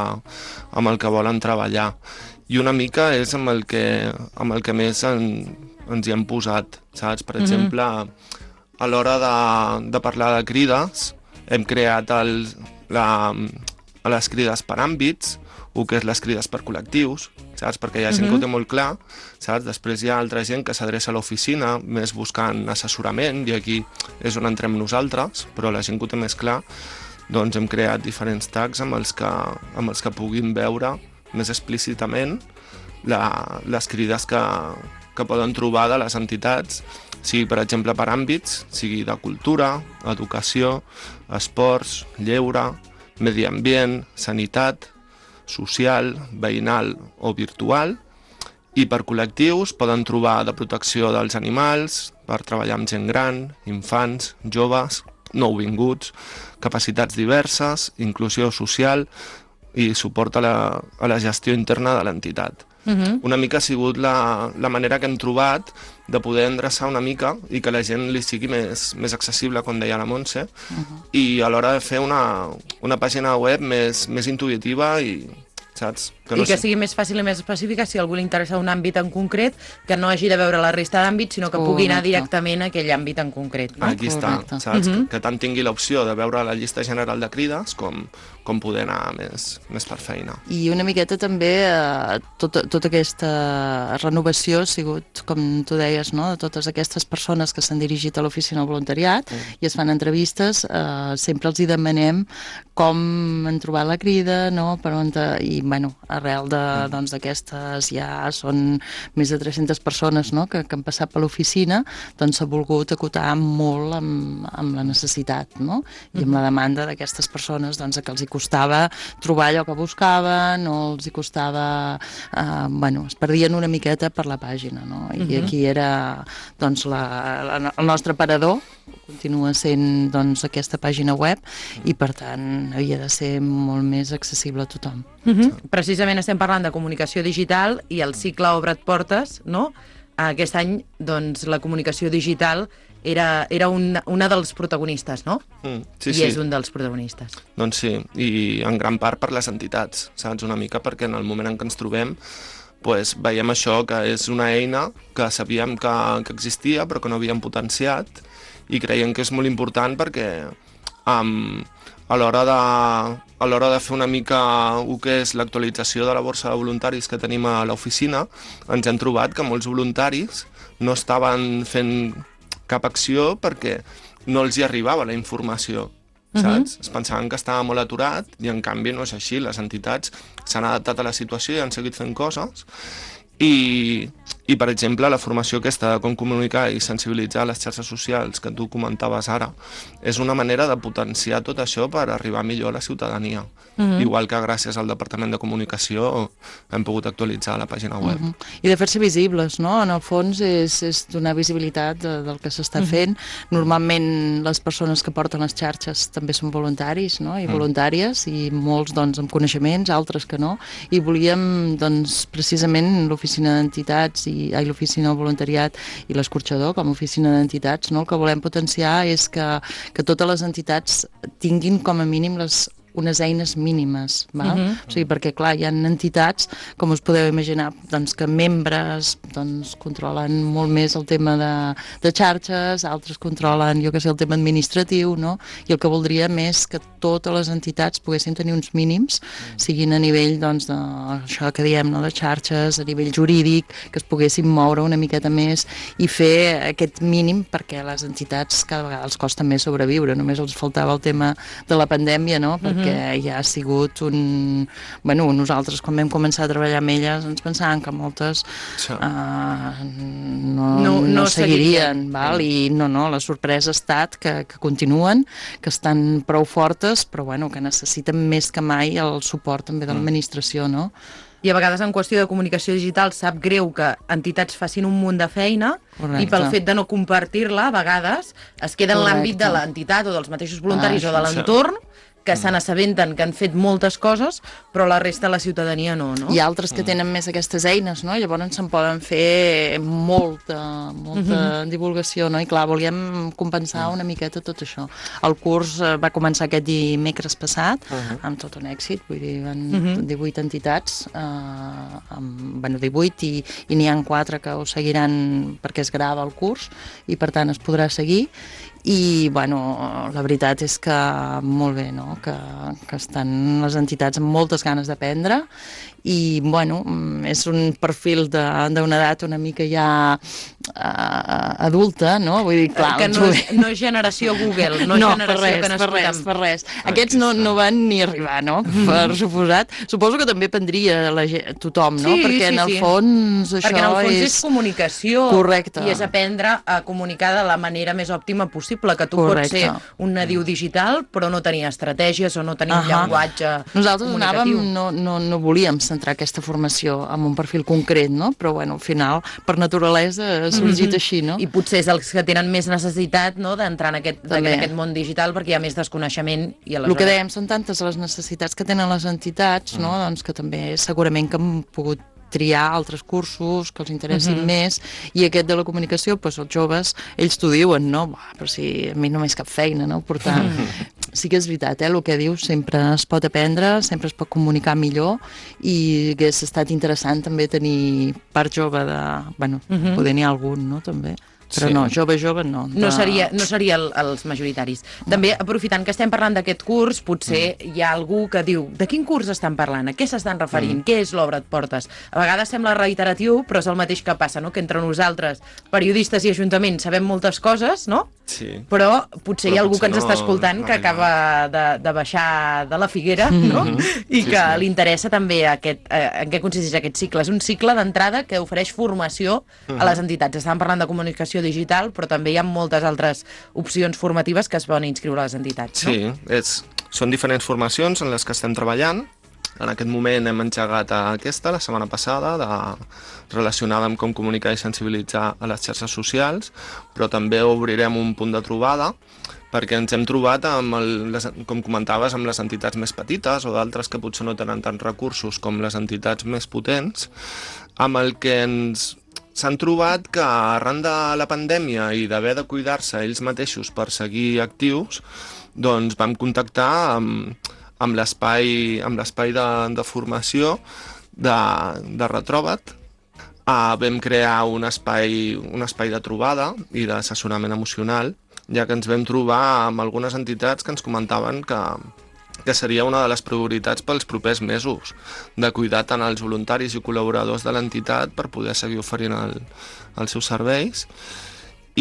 amb el que volen treballar. I una mica és amb el que, amb el que més en, ens hi hem posat, saps? Per exemple, mm-hmm. a l'hora de, de parlar de crides, hem creat el, la, les crides per àmbits, o que és les crides per col·lectius, saps? Perquè hi ha gent mm-hmm. que ho té molt clar, saps? Després hi ha altra gent que s'adreça a l'oficina, més buscant assessorament, i aquí és on entrem nosaltres, però la gent que ho té més clar, doncs hem creat diferents tags amb els que, amb els que puguin veure més explícitament la, les crides que, que poden trobar de les entitats, sigui, per exemple, per àmbits, sigui de cultura, educació, esports, lleure, medi ambient, sanitat, social, veïnal o virtual, i per col·lectius poden trobar de protecció dels animals, per treballar amb gent gran, infants, joves, nouvinguts, capacitats diverses, inclusió social i suport a la, a la gestió interna de l'entitat. Uh-huh. Una mica ha sigut la, la manera que hem trobat de poder endreçar una mica i que la gent li sigui més, més accessible, com deia la Montse, uh-huh. i a l'hora de fer una, una pàgina web més, més intuïtiva i... saps? Que no I que sé. sigui més fàcil i més específica si a algú li interessa un àmbit en concret, que no hagi de veure la resta d'àmbits, sinó que Correcte. pugui anar directament a aquell àmbit en concret. No? Aquí està, Correcte. saps? Uh-huh. Que, que tant tingui l'opció de veure la llista general de crides com, com poder anar més, més per feina. I una miqueta també eh, tota, tota aquesta renovació ha sigut, com tu deies, no? De totes aquestes persones que s'han dirigit a l'oficina del voluntariat mm. i es fan entrevistes, eh, sempre els hi demanem com han trobat la crida, no? Per on te... I, bueno, arrel de, doncs, d'aquestes ja són més de tres-centes persones, no? que, que han passat per l'oficina, doncs s'ha volgut acotar molt amb, amb la necessitat, no? I amb la demanda d'aquestes persones, doncs, que els hi costava trobar allò que buscaven, o els hi costava... Eh, bueno, es perdien una miqueta per la pàgina, no? I uh-huh. aquí era, doncs, la, la, el nostre aparador, continua sent, doncs, aquesta pàgina web, i, per tant, havia de ser molt més accessible a tothom. Uh-huh. Precisament estem parlant de comunicació digital i el cicle Obre't Portes, no? Aquest any, doncs, la comunicació digital era, era un, una dels protagonistes, no? Mm, sí, I sí. és un dels protagonistes. Doncs sí, i en gran part per les entitats, saps? Una mica perquè en el moment en què ens trobem pues, veiem això, que és una eina que sabíem que, que existia però que no havíem potenciat, i creiem que és molt important perquè um, a l'hora de, a l'hora de fer una mica el que és l'actualització de la borsa de voluntaris que tenim a l'oficina, ens hem trobat que molts voluntaris no estaven fent cap acció perquè no els hi arribava la informació, saps? Uh-huh. Es pensaven que estava molt aturat i en canvi no és així. Les entitats s'han adaptat a la situació i han seguit fent coses, i, I, per exemple, la formació aquesta de com comunicar i sensibilitzar les xarxes socials que tu comentaves ara és una manera de potenciar tot això per arribar millor a la ciutadania. Mm-hmm. Igual que gràcies al Departament de Comunicació hem pogut actualitzar la pàgina web. Mm-hmm. I de fer-se visibles, no? En el fons és, és donar visibilitat de, del que s'està mm-hmm. fent. Normalment les persones que porten les xarxes també són voluntaris, no? I mm. voluntàries, i molts doncs amb coneixements, altres que no. I volíem doncs precisament l'oficina d'entitats i ai, l'oficina del voluntariat i l'escorxador com a oficina d'entitats, no? El que volem potenciar és que, que totes les entitats tinguin com a mínim les unes eines mínimes, val? Uh-huh. O sigui, perquè clar, hi ha entitats, com us podeu imaginar, doncs, que membres doncs, controlen molt més el tema de, de xarxes, altres controlen, jo que sé, el tema administratiu, no? I el que voldríem és que totes les entitats poguessin tenir uns mínims, siguin a nivell, doncs, de això que diem, no? De xarxes, a nivell jurídic, que es poguessin moure una miqueta més i fer aquest mínim, perquè les entitats cada vegada els costa més sobreviure, només els faltava el tema de la pandèmia, no? Perquè que ja ha sigut un... Bueno, nosaltres quan vam començar a treballar amb elles ens pensàvem que moltes uh, no, no, no, no seguirien, val? I no, no, la sorpresa ha estat que, que continuen, que estan prou fortes, però bueno, que necessiten més que mai el suport també de l'administració, no? I a vegades en qüestió de comunicació digital sap greu que entitats facin un munt de feina. Correcte. I pel fet de no compartir-la, a vegades es queda en l'àmbit de l'entitat o dels mateixos voluntaris ah, o de l'entorn, que se n'assabenten que han fet moltes coses, però la resta de la ciutadania no, no? Hi ha altres que tenen més aquestes eines, no? Llavors se'n poden fer molta, molta uh-huh. divulgació, no? I clar, volíem compensar una miqueta tot això. El curs va començar aquest dimecres passat, uh-huh. amb tot un èxit, vull dir, van uh-huh. divuit entitats, eh, amb, bueno, divuit, i, i n'hi ha quatre que ho seguiran perquè es grava el curs, i per tant es podrà seguir. I, bueno, la veritat és que molt bé, no? Que, que estan les entitats amb moltes ganes d'aprendre i, bueno, és un perfil d'una edat una mica ja uh, adulta, no? Vull dir, clar... Que no és, no és generació Google, no, no generació per res, que per res, per res. Aquests no, no van ni arribar, no? Per suposat. Suposo que també prendria la gent, tothom, no? Sí, Perquè sí, en el sí. fons això és... Perquè en el fons és, és comunicació. Correcte. I és aprendre a comunicar de la manera més òptima possible, que tu Correcte. pots ser un nadiu digital, però no tenir estratègies o no tenir uh-huh. un llenguatge Nosaltres comunicatiu. Anàvem, no, no, no volíem centrar aquesta formació en un perfil concret, no? Però, bueno, al final, per naturalesa, ha sorgit mm-hmm. així, no? I potser és els que tenen més necessitat, no?, d'entrar en, aquest, en aquest món digital perquè hi ha més desconeixement i aleshores... El que dèiem, són tantes les necessitats que tenen les entitats, no?, doncs que també segurament que han pogut triar altres cursos que els interessin uh-huh. més, i aquest de la comunicació, doncs els joves, ells t'ho diuen, no? Bah, però si a mi no m'és cap feina, no? Per tant, sí que és veritat, eh? El que dius, sempre es pot aprendre, sempre es pot comunicar millor, i hagués estat interessant també tenir part jove de... Bueno, uh-huh. poder n'hi ha algun, no?, també. Però sí. no, jove, jove, no. De... No seria, no seria el, els majoritaris. També, aprofitant que estem parlant d'aquest curs, potser mm. hi ha algú que diu de quin curs estan parlant, a què s'estan referint, mm. què és l'Obre et portes? A vegades sembla reiteratiu, però és el mateix que passa, no?, que entre nosaltres, periodistes i ajuntaments, sabem moltes coses, no? Sí. Però potser però hi ha algú potser que ens no, està escoltant no que acaba de, de baixar de la figuera, no? Mm-hmm. I sí, que sí. li interessa també aquest, eh, en què consisteix aquest cicle. És un cicle d'entrada que ofereix formació mm-hmm. a les entitats. Estàvem parlant de comunicació digital, però també hi ha moltes altres opcions formatives que es poden inscriure a les entitats, no? Sí, és, són diferents formacions en les que estem treballant. En aquest moment hem engegat aquesta, la setmana passada, de, relacionada amb com comunicar i sensibilitzar a les xarxes socials, però també obrirem un punt de trobada perquè ens hem trobat, amb el, les, com comentaves, amb les entitats més petites o d'altres que potser no tenen tants recursos com les entitats més potents, amb el que ens s'han trobat que arran de la pandèmia i d'haver de cuidar-se ells mateixos per seguir actius, doncs vam contactar amb, amb l'espai amb l'espai de, de formació de, de Retroba't. Uh, vam crear un espai, un espai de trobada i d'assessorament emocional, ja que ens vam trobar amb algunes entitats que ens comentaven que, que seria una de les prioritats pels propers mesos, de cuidar tant els voluntaris i col·laboradors de l'entitat per poder seguir oferint el, els seus serveis.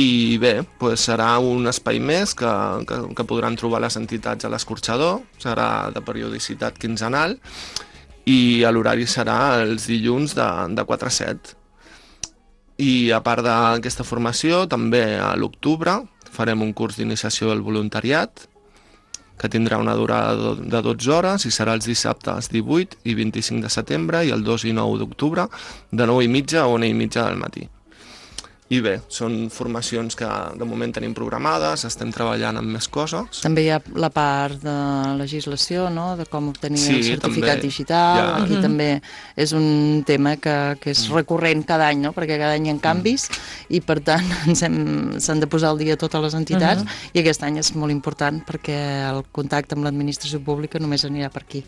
I bé, doncs serà un espai més que, que, que podran trobar les entitats a l'escorxador, serà de periodicitat quinzenal, i l'horari serà els dilluns de, de quatre a set. I a part d'aquesta formació, també a l'octubre farem un curs d'iniciació al voluntariat, que tindrà una durada de dotze hores i serà els dissabtes divuit i vint-i-cinc de setembre i el dos i nou d'octubre de nou i mitja a una i mitja del matí. I bé, són formacions que de moment tenim programades, estem treballant amb més coses. També hi ha la part de legislació, no?, de com obtenir sí, el certificat també, digital. Ja. Aquí uh-huh. també és un tema que, que és recurrent cada any, no?, perquè cada any hi ha canvis uh-huh. i per tant s'han de posar al dia totes les entitats uh-huh. i aquest any és molt important perquè el contacte amb l'administració pública només anirà per aquí.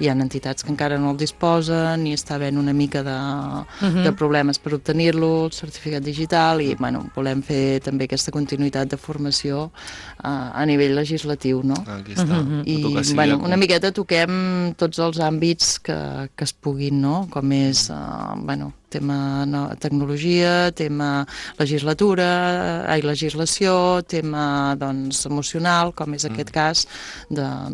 Hi ha entitats que encara no el disposen i està havent una mica de, uh-huh. de problemes per obtenir-lo, el certificat digital, i bueno, volem fer també aquesta continuïtat de formació uh, a nivell legislatiu, no? Aquí està. Uh-huh. I bueno, una miqueta toquem tots els àmbits que, que es puguin, no? Com és uh, bueno, tema no, tecnologia, tema legislatura, ai, legislació, tema doncs, emocional, com és aquest mm. cas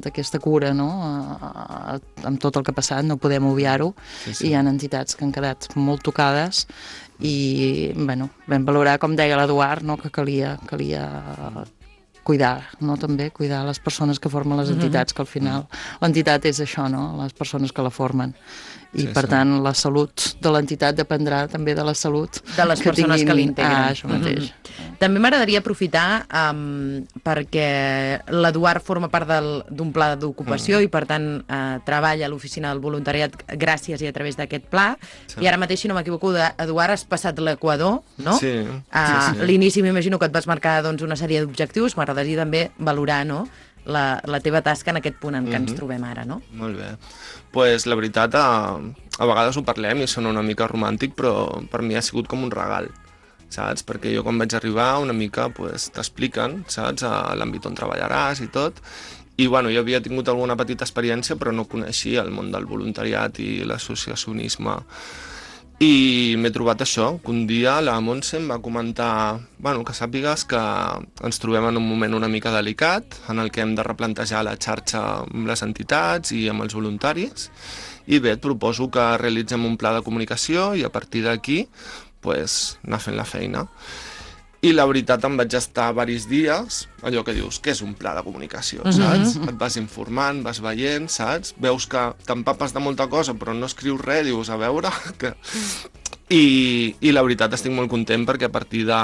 d'aquesta cura, no? Uh, amb tot el que ha passat, no podem obviar-ho, sí, sí. I hi ha entitats que han quedat molt tocades i bueno, vam valorar, com deia l'Eduard, no? que calia, calia cuidar, no? també cuidar les persones que formen les entitats, que al final l'entitat és això, no? les persones que la formen. I, sí, per sí. tant, la salut de l'entitat dependrà també de la salut de les que persones tinguin... que l'integren. Ah, això mateix. Mm-hmm. També m'agradaria aprofitar um, perquè l'Eduard forma part d'un pla d'ocupació mm. i, per tant, uh, treballa a l'oficina del voluntariat gràcies i a través d'aquest pla. Sí. I ara mateix, si no m'equivoco, Eduard, has passat l'Equador, no? Sí. Uh, sí, sí. L'inici m'imagino que et vas marcar doncs, una sèrie d'objectius. M'agradaria també valorar, no?, La, la teva tasca en aquest punt en què mm-hmm. ens trobem ara, no? Molt bé. Pues la veritat, a, a vegades ho parlem i sona una mica romàntic, però per mi ha sigut com un regal, saps? Perquè jo quan vaig arribar una mica pues, t'expliquen, saps? A l'àmbit on treballaràs i tot. I bueno, jo havia tingut alguna petita experiència, però no coneixia el món del voluntariat i l'associacionisme. I m'he trobat això, que un dia la Montse em va comentar bueno, que sàpigues que ens trobem en un moment una mica delicat, en el que hem de replantejar la xarxa amb les entitats i amb els voluntaris, i bé, et proposo que realitzem un pla de comunicació i a partir d'aquí pues, anar fent la feina. I la veritat em vaig estar diversos dies, allò que dius, què és un pla de comunicació, saps? Mm-hmm. Et vas informant, vas veient, saps? Veus que t'empapes de molta cosa però no escrius res, dius, a veure... Que... I, I la veritat estic molt content perquè a partir de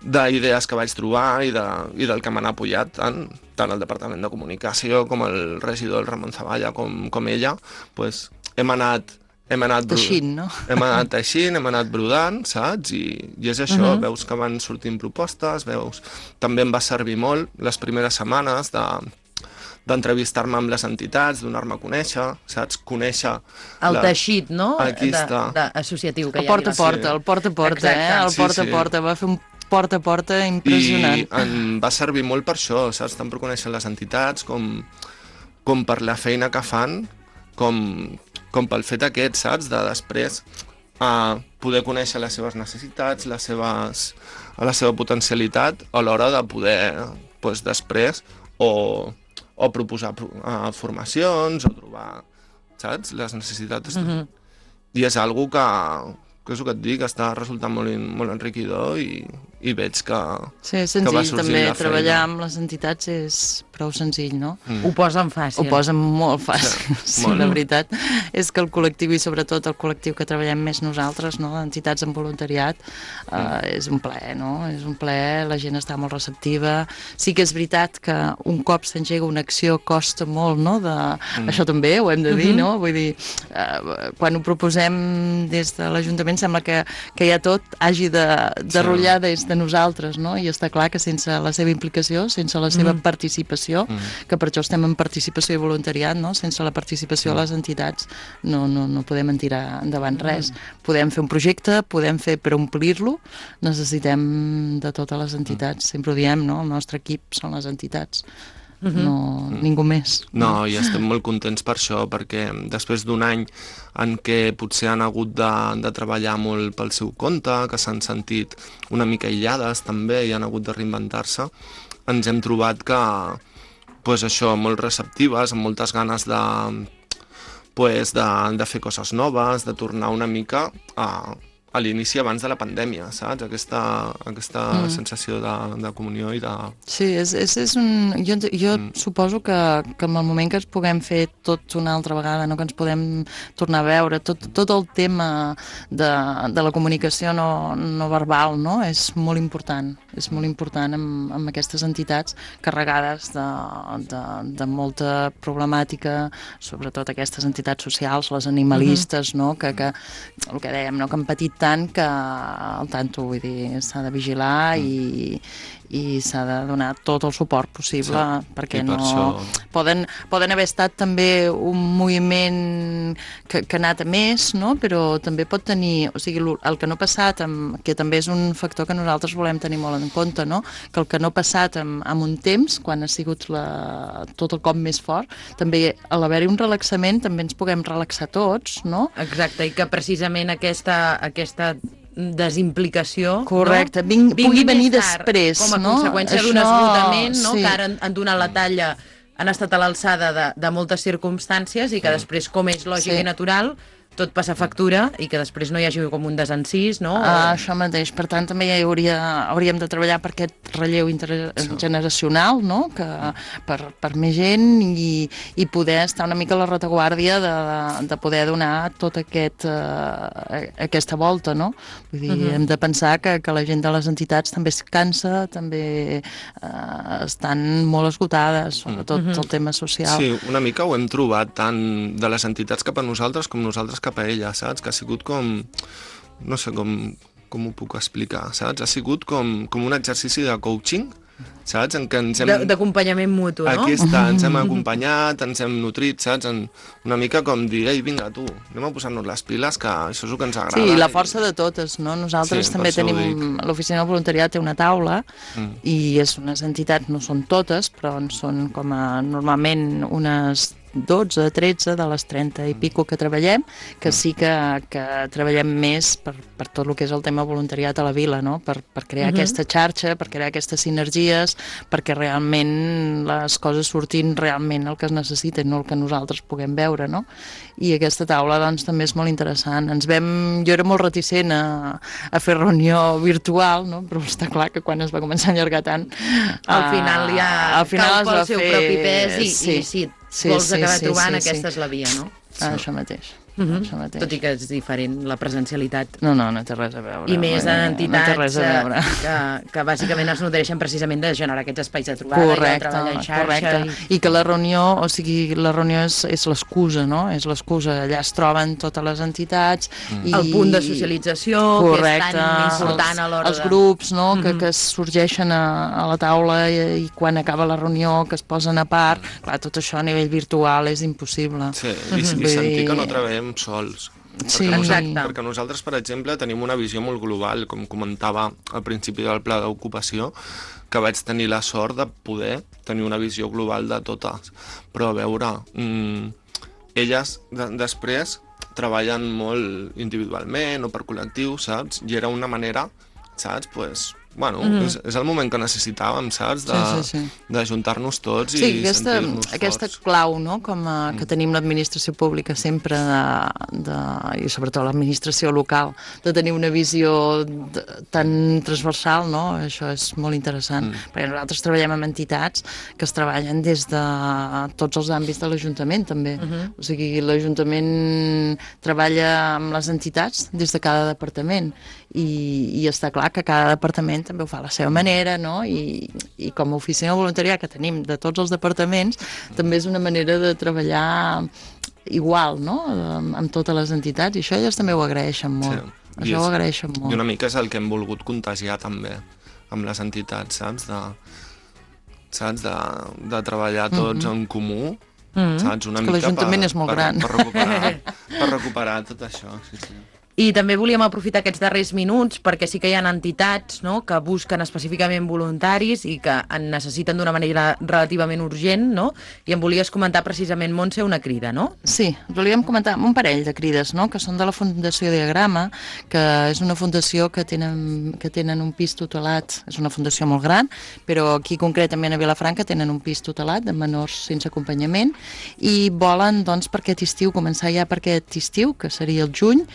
d'idees que vaig trobar i, de, i del que m'han apoyat tant, tant el Departament de Comunicació com el regidor el Ramon Zavalla com, com ella, pues, hem anat Hem anat teixint, no? Hem anat teixint, hem anat brodant, saps? I, i és això, uh-huh. veus que van sortint propostes, veus... També em va servir molt les primeres setmanes de d'entrevistar-me amb les entitats, donar-me a conèixer, saps? Conèixer... El la... teixit, no? Aquí de, està. De, associatiu que el porta a porta, sí. el porta a porta, eh? El porta a porta, va fer un porta a porta impressionant. I em va servir molt per això, saps? Tant per conèixer les entitats com, com per la feina que fan, com... com pel fet aquest, saps, de després uh, poder conèixer les seves necessitats, les seves, la seva potencialitat a l'hora de poder, pues, després, o, o proposar uh, formacions, o trobar, saps, les necessitats. Mm-hmm. I és algo que, que és el que et dic, està resultant molt, molt enriquidor i, i veig que, sí, que va senzill, també treballar amb les entitats és prou senzill, no? Mm. Ho posen fàcil. Ho posen molt fàcil, sí, sí, la veritat és que el col·lectiu, i sobretot el col·lectiu que treballem més nosaltres, no? Entitats en voluntariat, eh, mm. és un plaer, no? És un plaer, la gent està molt receptiva. Sí que és veritat que un cop s'engega una acció costa molt, no? De... Mm. Això també ho hem de dir, mm-hmm. no? Vull dir, eh, quan ho proposem des de l'Ajuntament sembla que, que ja tot hagi de, de rotllar des de nosaltres, no? I està clar que sense la seva implicació, sense la seva mm. participació, Mm. que per això estem en participació i voluntariat, no? Sense la participació mm. de les entitats no, no, no podem tirar endavant res. Mm. Podem fer un projecte, podem fer per omplir-lo, necessitem de totes les entitats, mm. sempre ho diem, no? El nostre equip són les entitats, mm-hmm. no mm. ningú més. No, i estem molt contents per això, perquè després d'un any en què potser han hagut de, de treballar molt pel seu compte, que s'han sentit una mica aïllades també i han hagut de reinventar-se, ens hem trobat que pues això, molt receptives, amb moltes ganes de, pues de, de fer coses noves, de tornar una mica a, a l'inici abans de la pandèmia, saps? Aquesta, aquesta mm. sensació de, de comunió i de... Sí, és, és, és un... Jo, jo mm. suposo que, que en el moment que ens puguem fer tot una altra vegada, no? Que ens podem tornar a veure, tot, tot el tema de, de la comunicació no, no verbal, no? És molt important, és molt important amb, amb aquestes entitats carregades de, de, de molta problemàtica, sobretot aquestes entitats socials, les animalistes, mm-hmm. no? Que, que, el que dèiem, no? Que han patit tant que al tanto, vull dir, s'ha de vigilar mm. i, i s'ha de donar tot el suport possible, sí. perquè no... Per això... Poden, poden haver estat també un moviment que, que ha anat a més, no? Però també pot tenir... O sigui, el que no ha passat, amb, que també és un factor que nosaltres volem tenir molt en compte, no? Que el que no ha passat amb, amb un temps, quan ha sigut la, tot el cop més fort, també a l'haver-hi un relaxament també ens puguem relaxar tots, no? Exacte, i que precisament aquesta... aquesta desimplicació, correcte, no? Ving, pugui venir tard, després, com a no? conseqüència Això... d'un esgotament, no? Sí. Que ara han, han donat la talla, han estat a l'alçada de, de moltes circumstàncies i que després, com és lògic sí. i natural, tot passa factura i que després no hi hagi com un desencís, no? Ah, això mateix. Per tant, també hi hauria, hauríem de treballar per aquest relleu intergeneracional, no? Que, per, per més gent i, i poder estar una mica a la retaguardia de, de poder donar tota aquest, uh, aquesta volta, no? Vull dir, uh-huh. hem de pensar que, que la gent de les entitats també es cansa, també uh, estan molt esgotades, sobretot uh-huh. el tema social. Sí, una mica ho hem trobat tant de les entitats cap a nosaltres com nosaltres cap a ella, saps? Que ha sigut com... No sé com, com ho puc explicar, saps? Ha sigut com, com un exercici de coaching, saps? En què ens hem... D'acompanyament mutu, no? Aquí està, ens hem acompanyat, ens hem nutrit, saps? En una mica com dir, ei, vinga, tu, anem a posar-nos les piles, que això és el que ens agrada. Sí, la força de totes, no? Nosaltres sí, també tenim... L'Oficina del Voluntariat té una taula mm. i és unes entitats, no són totes, però en són com a normalment unes dotze, tretze de les trenta i pico que treballem, que sí que, que treballem més per, per tot el que és el tema voluntariat a la vila, no? Per, per crear uh-huh. aquesta xarxa, per crear aquestes sinergies, perquè realment les coses surtin realment el que es necessita, no el que nosaltres puguem veure, no? I aquesta taula doncs també és molt interessant. Ens vam... Jo era molt reticent a, a fer reunió virtual, no? Però està clar que quan es va començar a allargar tant... Al final ja al final cal pel seu fer... propi pes i sí. i sí, Sí, vols sí, acabar sí, trobant, sí, aquesta sí. és la via, no? Ah, això mateix. Uh-huh. Això mateix. Tot i que és diferent la presencialitat. No, no, no té res a veure. I més en entitats no que, que bàsicament es nodreixen precisament de generar aquests espais de trobada correcte, i de treballar en xarxa. Correcte, i... i que la reunió, o sigui, la reunió és, és l'excusa, no? És l'excusa. Allà es troben totes les entitats. Mm. I... El punt de socialització, correcte, que és tan important a l'hora de... Els grups, no? Mm-hmm. que, que sorgeixen a, a la taula i, i quan acaba la reunió que es posen a part. Mm. Clar, tot això a nivell virtual és impossible. Sí, i, mm-hmm. i sentir que no treballem sols. Sí, perquè, nosaltres, perquè nosaltres, per exemple, tenim una visió molt global, com comentava al principi del pla d'ocupació, que vaig tenir la sort de poder tenir una visió global de totes. Però a veure, mmm, elles de després treballen molt individualment o per col·lectiu, saps? I era una manera, saps, pues, bueno, mm-hmm. és, és el moment que necessitàvem, saps? De, sí, sí, sí. de juntar-nos tots sí, i aquesta, sentir-nos aquesta forts. clau, no?, com a, que tenim l'administració pública sempre, de, de, i sobretot l'administració local, de tenir una visió de, tan transversal, no?, això és molt interessant, mm. perquè nosaltres treballem amb entitats que es treballen des de tots els àmbits de l'Ajuntament, també. Mm-hmm. O sigui, l'Ajuntament treballa amb les entitats des de cada departament, i, i està clar que cada departament també ho fa a la seva manera, no? I, i com a oficina de voluntariat que tenim de tots els departaments, també és una manera de treballar igual, no?, amb, amb totes les entitats, i això elles també ho agraeixen molt. Sí. Això és, ho agraeixen molt. I una mica és el que hem volgut contagiar també amb les entitats, saps? De, saps? De, de treballar tots mm-hmm. en comú, mm-hmm. saps? Una és que l'Ajuntament és molt per, gran. Per recuperar, per recuperar tot això, sí, sí. I també volíem aprofitar aquests darrers minuts perquè sí que hi ha entitats, no?, que busquen específicament voluntaris i que en necessiten d'una manera relativament urgent, no? I em volies comentar precisament, Montse, una crida, no? Sí, volíem comentar un parell de crides, no?, que són de la Fundació Diagrama, que és una fundació que tenen, que tenen un pis tutelat, és una fundació molt gran, però aquí concretament a Vilafranca tenen un pis tutelat de menors sense acompanyament i volen, doncs, per aquest estiu, començar ja per aquest estiu, que seria el juny,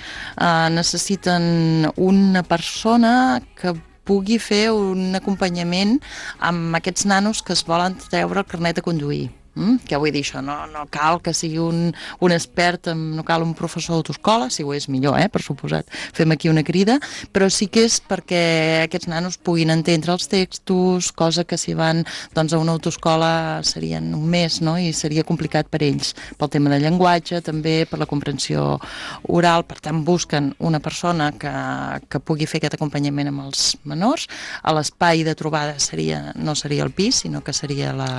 eh, necessiten una persona que pugui fer un acompanyament amb aquests nanos que es volen treure el carnet de conduir. Mm? Què vull dir això? No, no cal que sigui un, un expert, no cal un professor d'autoescola, si ho és millor, eh, per suposat, fem aquí una crida, però sí que és perquè aquests nanos puguin entendre els textos, cosa que si van doncs, a una autoescola serien un mes, no? I seria complicat per ells, pel tema de llenguatge, també per la comprensió oral. Per tant, busquen una persona que, que pugui fer aquest acompanyament amb els menors. A l'espai de trobada seria, no seria el pis, sinó que seria la,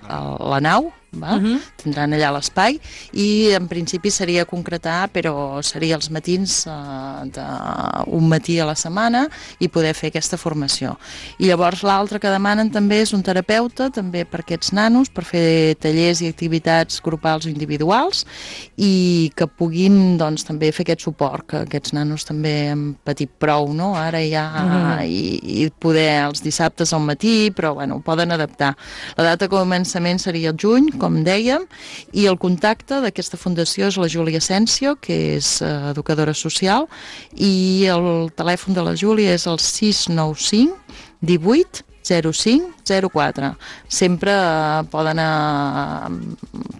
la nau, va? Uh-huh. Tindran allà l'espai i en principi seria concretar, però seria els matins uh, d'un matí a la setmana i poder fer aquesta formació. I llavors l'altre que demanen també és un terapeuta, també per aquests nanos, per fer tallers i activitats grupals o individuals i que puguin doncs, també fer aquest suport, que aquests nanos també han patit prou, no? Ara ja uh-huh. i, i poder els dissabtes al matí, però bueno, ho poden adaptar. La data de començament seria el juny, com dèiem, i el contacte d'aquesta fundació és la Júlia Asensio, que és uh, educadora social, i el telèfon de la Júlia és el sis nou cinc divuit zero cinc zero quatre. Sempre uh, poden uh,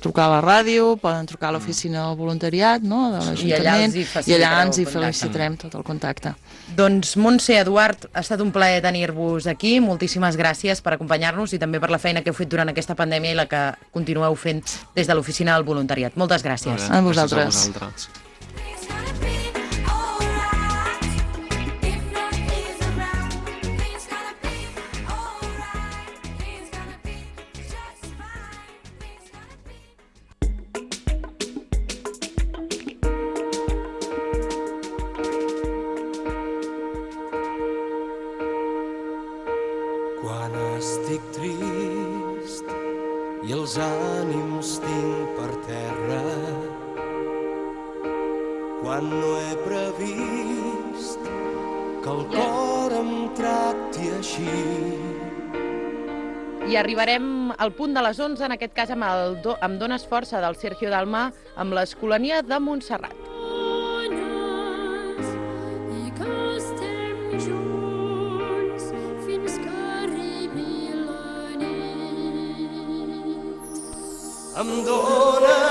trucar a la ràdio, poden trucar a l'oficina del voluntariat, no?, de l'Ajuntament, i allà ens hi felicitarem tot el contacte. Doncs Montse, Eduard, ha estat un plaer tenir-vos aquí. Moltíssimes gràcies per acompanyar-nos i també per la feina que heu fet durant aquesta pandèmia i la que continueu fent des de l'oficina del voluntariat. Moltes gràcies. A vosaltres. A vosaltres. Quan estic trist i els ànims tinc per terra, quan no he previst que el cor em tracti així. I arribarem al punt de les onze, en aquest cas amb, el do, amb Dones Força del Sergio Dalmà, amb l'Escolania de Montserrat. Em dóna